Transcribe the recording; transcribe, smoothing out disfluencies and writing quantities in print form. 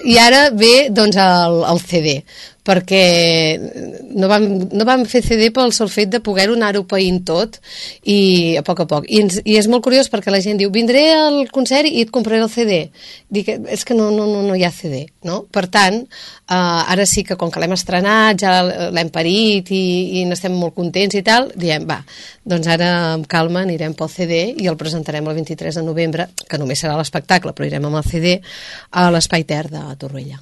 I ara ve doncs el CD, perquè no vam fer CD pel sol fet de poder-ho anar-ho païnt tot i a poc. I és molt curiós perquè la gent diu, vindré al concert i et compraré el CD. Dic, és que no hi ha CD, no? Per tant, ara sí que com que l'hem estrenat, ja l'hem parit i n'estem molt contents i tal, diem, va, doncs ara amb calma anirem pel CD i el presentarem el 23 de novembre, que només serà l'espectacle, però irem amb el CD a l'Espai Ter de Torroella.